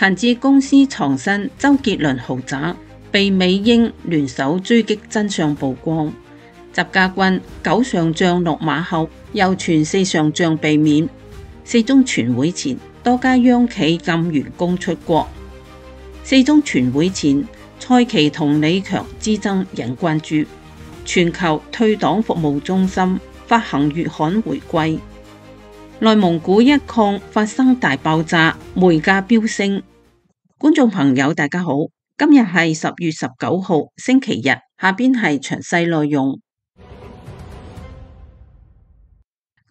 陳志公司藏身周杰倫豪宅，被美英聯手追擊真相曝光。習家軍9上將落馬後，又傳4上將被免。4中全會前，多家央企禁員工出國。4中全會前，蔡奇同李強之爭引關注。全球退黨服務中心發行月刊回歸。內蒙古一礦發生大爆炸，煤價飆升。觀眾朋友大家好，今日係10月19號星期日，下邊係詳細內容。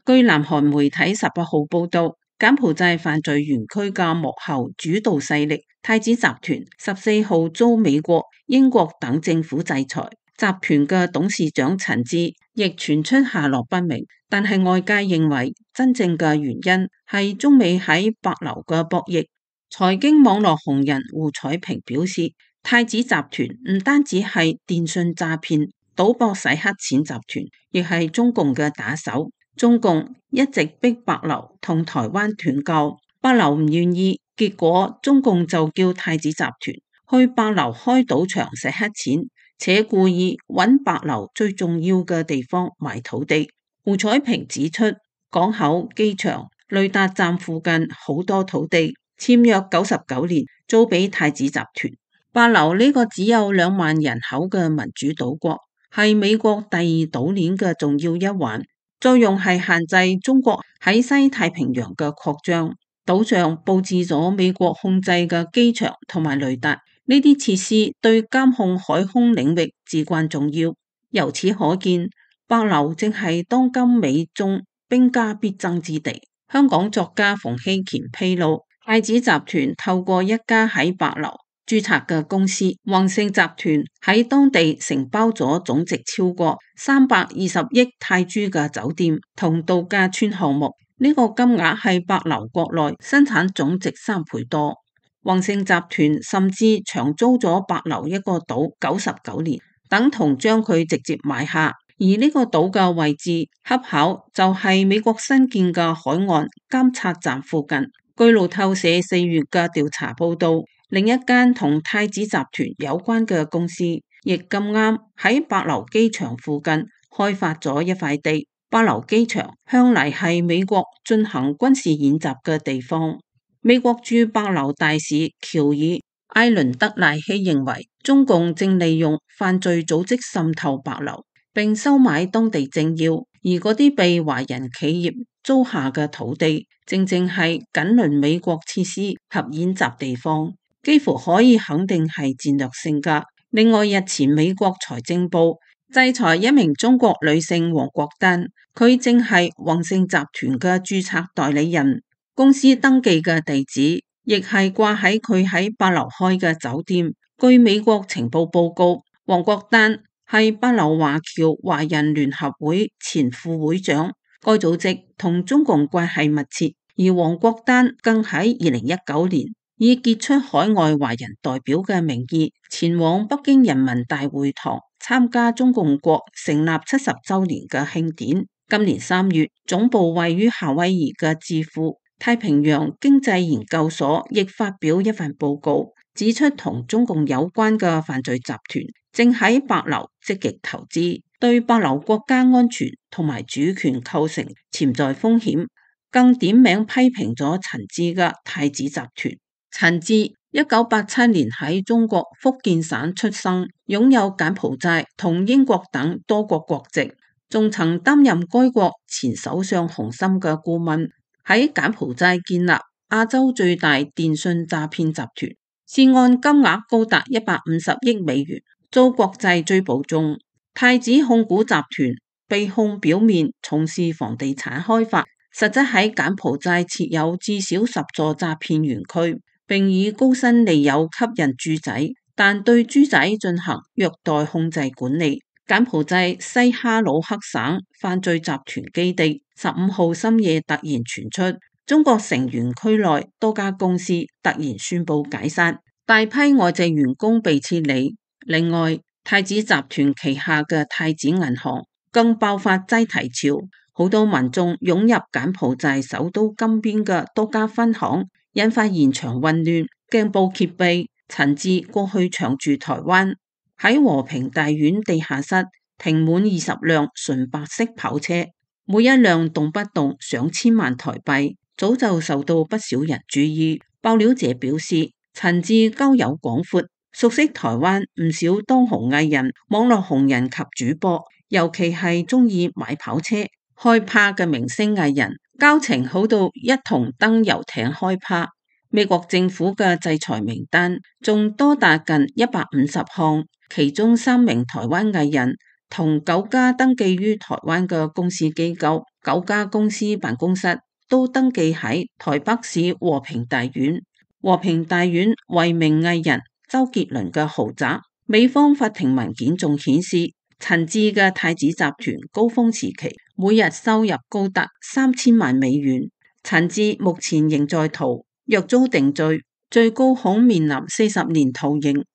據南韓媒體18號報道，柬埔寨犯罪園區嘅幕後主導勢力太子集團14號遭美國、英國等政府制裁，集團嘅董事長陳志亦傳出下落不明。但係外界認為真正嘅原因係中美喺帛琉嘅博弈。財經網絡紅人胡彩平表示，太子集團唔單止係電信詐騙、賭博洗黑錢集團，亦係中共嘅打手。中共一直逼帛琉同台灣斷交，帛琉唔願意，結果中共就叫太子集團去帛琉開賭場洗黑錢，且故意揾帛琉最重要嘅地方買土地。胡彩平指出，港口、機場、雷達站附近好多土地簽約99年租俾太子集團。帛琉呢個只有2萬人口嘅民主島國，係美國第2島鏈嘅重要一環，作用係限制中國喺西太平洋嘅擴張。島上佈置咗美國控制嘅機場同埋雷達，呢啲設施對監控海空領域至關重要。由此可見，帛琉正係當今美中兵家必爭之地。香港作家馮希乾披露，太子集團透過一家喺帛琉註冊嘅公司宏盛集團，喺當地承包咗總值超過320億泰銖嘅酒店同度假村項目。呢個金額係帛琉國內生產總值3倍多。宏盛集團甚至長租咗帛琉一個島99年，等同將佢直接買下。而呢個島嘅位置恰巧就係美國新建嘅海岸監察站附近。據路透社4月嘅調查報道，另一間同太子集團有關嘅公司亦咁啱喺帛琉機場附近開發咗一塊地。帛琉機場向嚟係美國進行軍事演習嘅地方。美國駐帛琉大使喬爾艾倫德賴希認為，中共正利用犯罪組織滲透帛琉，並收買當地政要，而嗰啲被華人企業租下嘅土地，正正係緊鄰美國設施及演習地方，幾乎可以肯定係戰略性㗎。另外，日前美國財政部制裁一名中國女性黃國丹，佢正係宏盛集團嘅註冊代理人，公司登記嘅地址亦係掛喺佢喺帛琉開嘅酒店。據美國情報報告，黃國丹係帛琉華僑華人聯合會前副會長，該組織同中共關係密切，而黃國丹更喺2019年以傑出海外華人代表嘅名義前往北京人民大會堂參加中共國成立70週年嘅慶典。今年3月，總部位於夏威夷嘅智庫太平洋經濟研究所亦發表一份報告，指出同中共有關嘅犯罪集團正喺帛琉積極投資，對帛琉國家安全同埋主權構成潛在風險，更點名批評咗陳志嘅太子集團。陳志1987年喺中國福建省出生，擁有柬埔寨同英國等多國國籍，仲曾擔任該國前首相洪森嘅顧問，喺柬埔寨建立亞洲最大電信詐騙集團，涉案金額高達150億美元，遭國際追捕中。太子控股集團被控表面從事房地產開發，實質喺柬埔寨設有至少10座詐騙園區，並以高薪利誘吸引豬仔，但對豬仔進行虐待控制管理。柬埔寨西哈努克省犯罪集團基地15號深夜突然傳出中國成員區內多家公司突然宣布解散，大批外籍員工被撤離。另外，太子集團旗下嘅太子銀行更爆發擠提潮，好多民眾湧入柬埔寨首都金邊嘅多家分行，引發現場混亂，鏡報揭秘，陳智過去長駐台灣，喺和平大院地下室停滿20輛純白色跑車，每一輛動不動上千萬台幣，早就受到不少人注意。爆料者表示，陳智交友廣闊，熟悉台灣唔少當紅藝人、網絡紅人及主播，尤其係中意買跑車、開趴嘅明星藝人，交情好到一同登遊艇開趴。美國政府嘅制裁名單仲多達近150項，其中3名台灣藝人同9家登記於台灣嘅公司機構、9家公司辦公室都登記喺台北市和平大院。和平大院為名藝人周杰倫嘅豪宅。美方法庭文件仲顯示，陳智嘅太子集團高峰時期每日收入高達3000萬美元。陳智目前仍在逃，若遭定罪，最高恐面臨40年徒刑。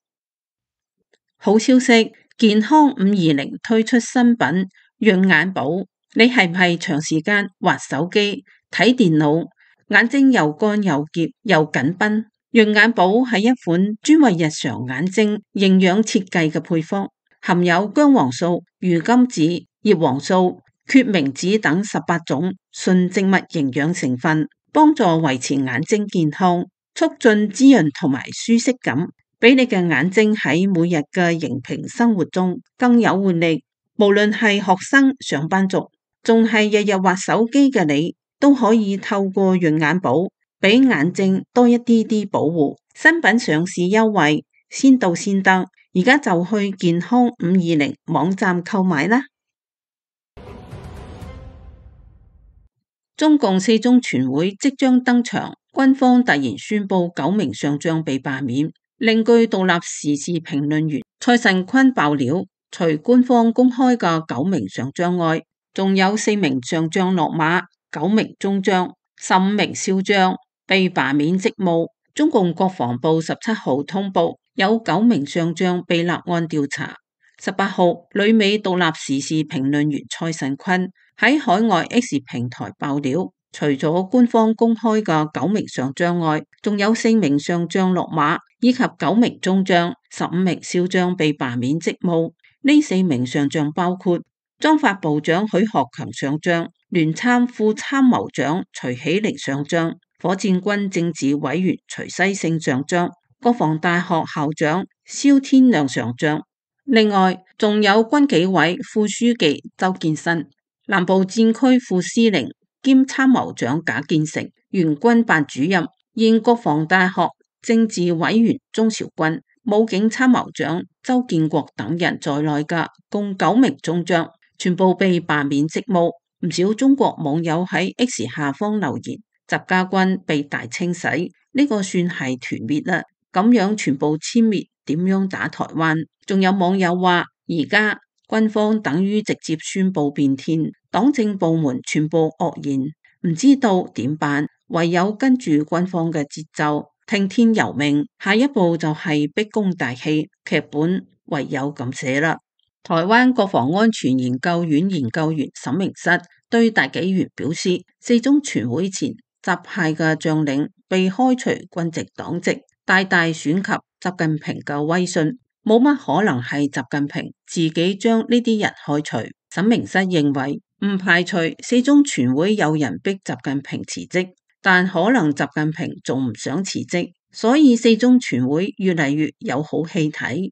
好消息，健康520推出新品潤眼寶。你係唔係長時間滑手機、睇電腦，眼睛又乾又澀又緊繃？潤眼寶係一款專為日常眼睛營養設計嘅配方，含有薑黃素、魚甘子、葉黃素、決明子等18種純植物營養成分，幫助維持眼睛健康，促進滋潤同埋舒適感，俾你嘅眼睛喺每日嘅熒屏生活中更有活力。無論係學生、上班族，仲係日日滑手機嘅你，都可以透過潤眼寶俾眼睛多一啲啲保護。新品上市優惠，先到先得，而家就去健康520網站購買啦。中共4中全會即將登場，軍方突然宣布9名上將被罷免，另據獨立時事評論員蔡慎坤爆料，除官方公開嘅9名上將外，仲有4名上將落馬，9名中將、15名少將被罷免職務。中共國防部17號通報，有9名上將被立案調查。18號，旅美獨立時事評論員蔡慎坤喺海外 X 平台爆料，除咗官方公開嘅9名上將外，仲有4名上將落馬，以及9名中將、15名少將被罷免職務。呢4名上將包括裝發部長許學強上將、聯參副參謀長徐喜玲上將、火箭軍政治委員徐西勝上將、國防大學校長蕭天亮上將。另外，仲有軍紀委副書記周建新、南部戰區副司令兼參謀長賈建成、原軍辦主任、現國防大學政治委員鍾韶軍、武警參謀長周建國等人在內嘅共9名中將，全部被罷免職務。唔少中國網友喺 X 下方留言：習家軍被大清洗，呢個算係團滅啦。咁樣全部殲滅，點樣打台灣？仲有網友話，而家軍方等於直接宣布變天，黨政部門全部愕然，唔知道點辦，唯有跟住軍方嘅節奏，聽天由命。下一步就係逼宮大戲，劇本唯有咁寫啦。台灣國防安全研究院研究員沈明室對大紀元表示，4中全會前習派嘅將領被開除軍籍黨籍，大大損及習近平嘅威信，冇乜可能係習近平自己將呢啲人開除。沈明室認為，唔排除4中全會有人逼習近平辭職，但可能習近平仲唔想辭職，所以4中全會越嚟越有好戲睇。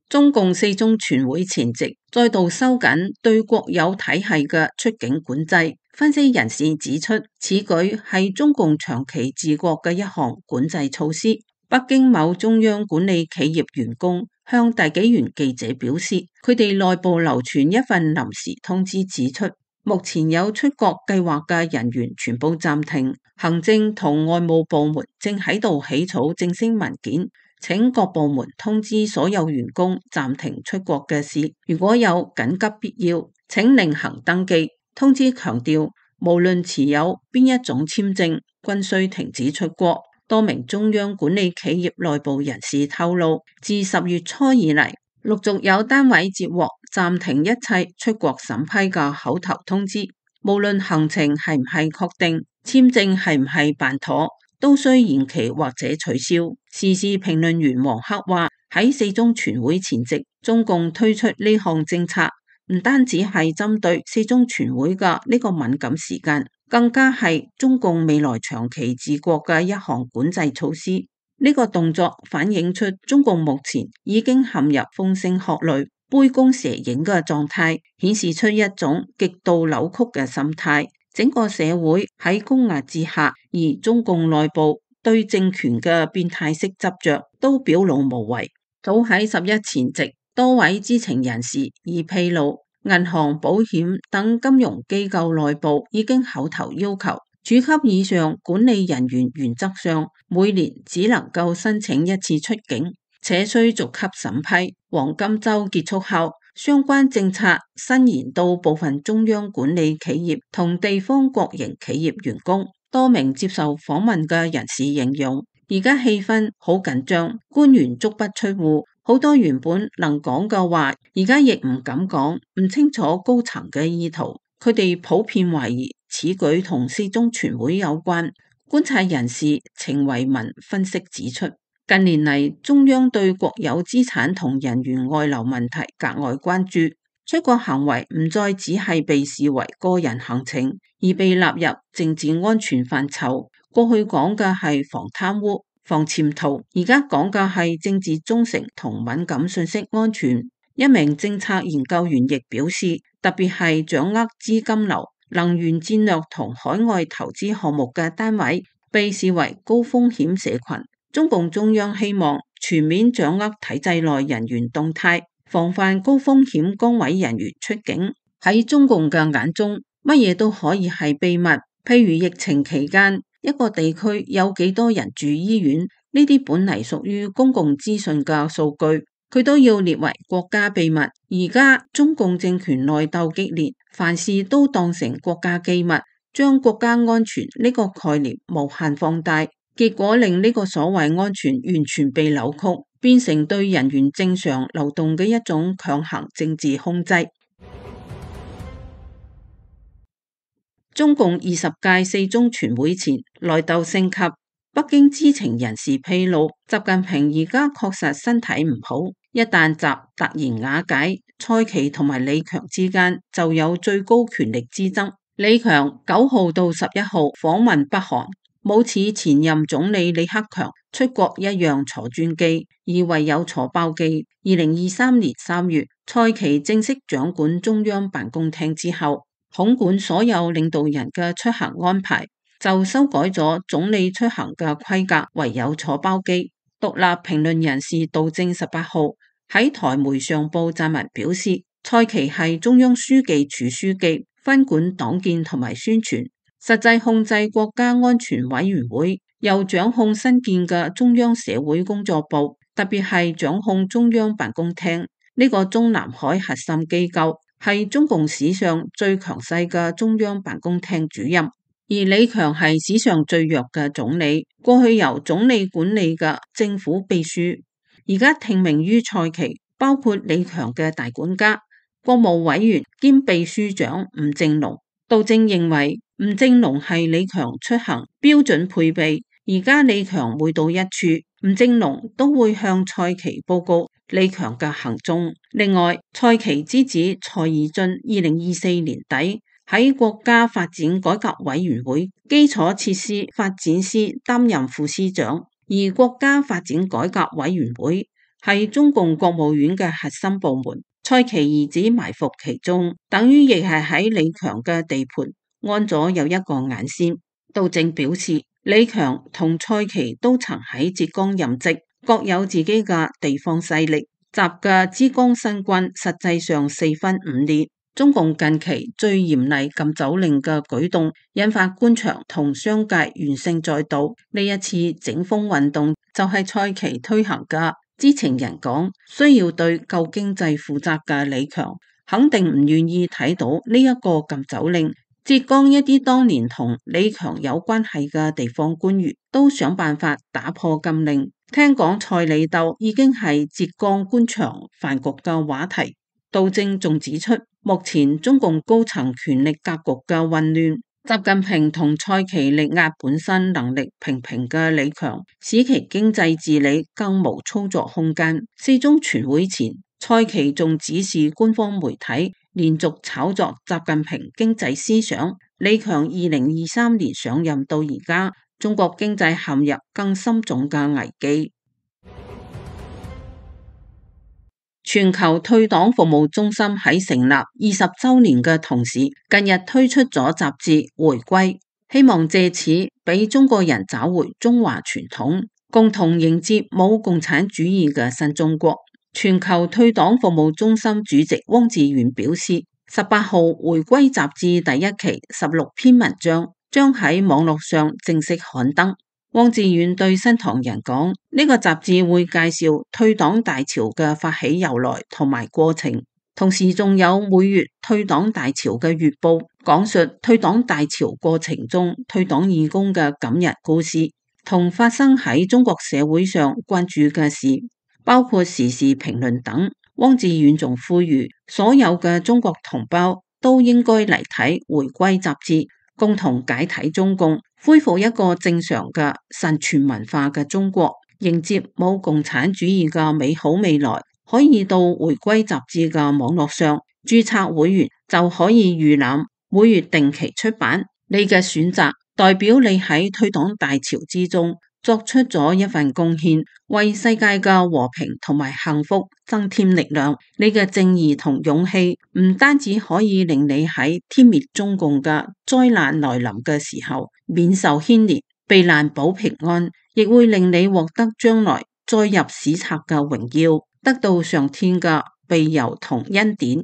中共4中全會前夕再度收緊對國有體系嘅出境管制，分析人士指出，此舉係中共長期治國嘅一項管制措施。北京某中央管理企業員工向大紀元記者表示，佢哋內部流傳一份臨時通知，指出目前有出國計劃嘅人員全部暫停，行政同外務部門正喺度起草正式文件，請各部門通知所有員工暫停出國嘅事，如果有緊急必要，請另行登記。通知強調，無論持有邊一種簽證，均須停止出國。多名中央管理企業內部人士透露，自10月初以嚟，陸續有單位接獲暫停一切出國審批嘅口頭通知，無論行程係唔係確定，簽證係唔係辦妥，都需延期或者取消。時事評論員黃克話：喺四中全會前夕，中共推出呢項政策，唔單止係針對四中全會嘅呢個敏感時間，更加係中共未來長期治國嘅一項管制措施。呢個動作反映出中共目前已經陷入風聲鶴唳、杯弓蛇影嘅狀態，顯示出一種極度扭曲嘅心態。整個社會喺高壓之下，而中共內部對政權嘅變態式執着都表露無遺。早喺11前夕，多位知情人士已披露，銀行、保險等金融機構內部已經口頭要求，處級以上管理人員原則上每年只能夠申請一次出境，且需逐級審批。黃金周結束後，相關政策伸延到部分中央管理企業同地方國營企業員工。多名接受訪問嘅人士形容，而家氣氛好緊張，官員足不出戶，好多原本能講嘅話，而家亦唔敢講，唔清楚高層嘅意圖。佢哋普遍懷疑此舉同四中全會有關。觀察人士程維文分析指出，近年嚟中央對國有資產同人員外流問題格外關注，出國行為唔再只係被視為個人行程，而被納入政治安全範疇。過去講嘅係防貪污、防潛逃，而家講嘅係政治忠誠同敏感信息安全。一名政策研究員亦表示，特別係掌握資金流、能源戰略同海外投資項目嘅單位，被視為高風險社群。中共中央希望全面掌握體制內人員動態，防範高風險崗位人員出境。喺中共嘅眼中，乜嘢都可以係秘密。譬如疫情期間，一個地區有幾多人住醫院，呢啲本嚟屬於公共資訊嘅數據，佢都要列為國家秘密。而家中共政權內鬥激烈，凡事都當成國家機密，將國家安全呢個概念無限放大。結果令呢個所謂安全完全被扭曲，變成對人員正常流動嘅一種強行政治控制。中共20屆四中全會前內鬥升級，北京知情人士披露，習近平而家確實身體唔好，一旦習突然瓦解，蔡奇同埋李強之間就有最高權力之爭。李強9號到11號訪問北韓，冇似前任總理李克強出國一樣坐專機，而唯有坐包機。2023年3月，蔡奇正式掌管中央辦公廳之後，統管所有領導人嘅出行安排，就修改咗總理出行嘅規格，唯有坐包機。獨立評論人士杜正18號喺台媒上報撰文表示，蔡奇係中央書記處書記，分管黨建同埋宣傳，實際控制國家安全委員會，又掌控新建嘅中央社會工作部，特別係掌控中央辦公廳呢個中南海核心機構，係中共史上最強勢嘅中央辦公廳主任。而李強係史上最弱嘅總理，過去由總理管理嘅政府秘書，而家聽命於蔡奇，包括李強嘅大管家、國務委員兼秘書長吳政隆。杜正認為吳政隆係李強出行標準配備，而家李強每到一處，吳政隆都會向蔡奇報告李強嘅行蹤。另外，蔡奇之子蔡義俊2024年底喺國家發展改革委員會基礎設施發展司擔任副司長，而國家發展改革委員會係中共國務院嘅核心部門。蔡奇兒子埋伏其中，等於亦係喺李強嘅地盤安咗有一個眼線。杜正表示，李強同蔡奇都曾喺浙江任職，各有自己嘅地方勢力。習嘅浙江新軍實際上四分五裂。中共近期最嚴厲禁酒令嘅舉動，引發官場同商界怨聲載道。呢一次整風運動就係蔡奇推行嘅。知情人講，需要對救經濟負責嘅李強，肯定唔願意睇到呢一個禁酒令。浙江一啲當年同李強有關係嘅地方官員，都想辦法打破禁令。聽講蔡李鬥已經係浙江官場飯局嘅話題。杜正仲指出，目前中共高層權力格局嘅混亂，習近平同蔡奇力壓本身能力平平嘅李強，使其經濟治理更無操作空間。四中全會前，蔡奇仲指示官方媒體連續炒作習近平經濟思想。李強2023年上任到而家，中國經濟陷入更深重嘅危機。全球退黨服務中心喺成立20週年嘅同時，近日推出咗雜誌《回歸》，希望借此俾中國人找回中華傳統，共同迎接冇共產主義嘅新中國。全球退黨服務中心主席汪志遠表示，18號《回歸》雜誌第一期16篇文章將喺網絡上正式刊登。汪志遠對新唐人講：呢個雜誌會介紹退黨大潮嘅發起由來同埋過程，同時仲有每月退黨大潮嘅月報，講述退黨大潮過程中退黨義工嘅感人故事，同發生喺中國社會上關注嘅事，包括時事評論等。汪志遠仲呼籲所有嘅中國同胞都應該嚟睇《回歸》雜誌，共同解體中共，恢復一個正常嘅神傳文化嘅中國，迎接冇共產主義嘅美好未來。可以到《回歸》雜誌嘅網絡上註冊會員，就可以預覽每月定期出版。你嘅選擇代表你喺退黨大潮之中作出咗一份貢獻，為世界嘅和平同埋幸福增添力量。你嘅正義同勇氣唔單止可以令你喺殲滅中共嘅災難來臨嘅時候免受牽連，避難保平安，亦會令你獲得將來載入史冊嘅榮耀，得到上天嘅庇佑同恩典。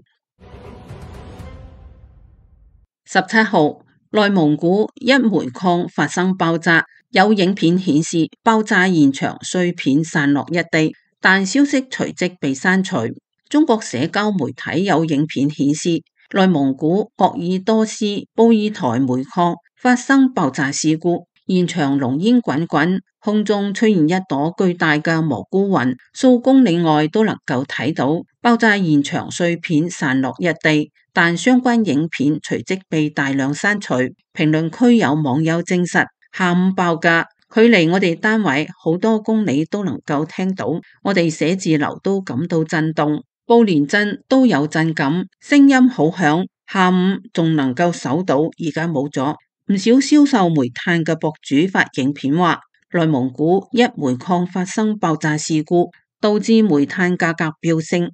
17號，內蒙古一煤礦發生爆炸，有影片顯示爆炸現場碎片散落一地，但消息隨即被刪除。中國社交媒體有影片顯示，內蒙古鄂爾多斯布爾台煤礦發生爆炸事故，現場濃煙滾滾，空中出現一朵巨大嘅蘑菇雲，數公里外都能夠睇到。爆炸現場碎片散落一地，但相關影片隨即被大量刪除。評論區有網友證實，下午爆炸，距離我哋單位好多公里都能夠聽到，我哋寫字樓都感到震動，布連鎮都有震感，聲音好響。下午仲能夠搜到，而家冇咗。唔少銷售煤炭嘅博主發影片話，內蒙古一煤礦發生爆炸事故，導致煤炭價格飆升。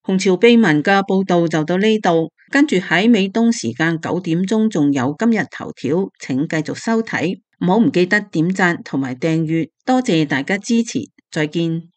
紅潮秘聞嘅報道就到呢度，跟住喺美東時間9點鐘仲有今日頭條，請繼續收睇，唔好唔記得點讚同埋訂閱，多謝大家支持，再見。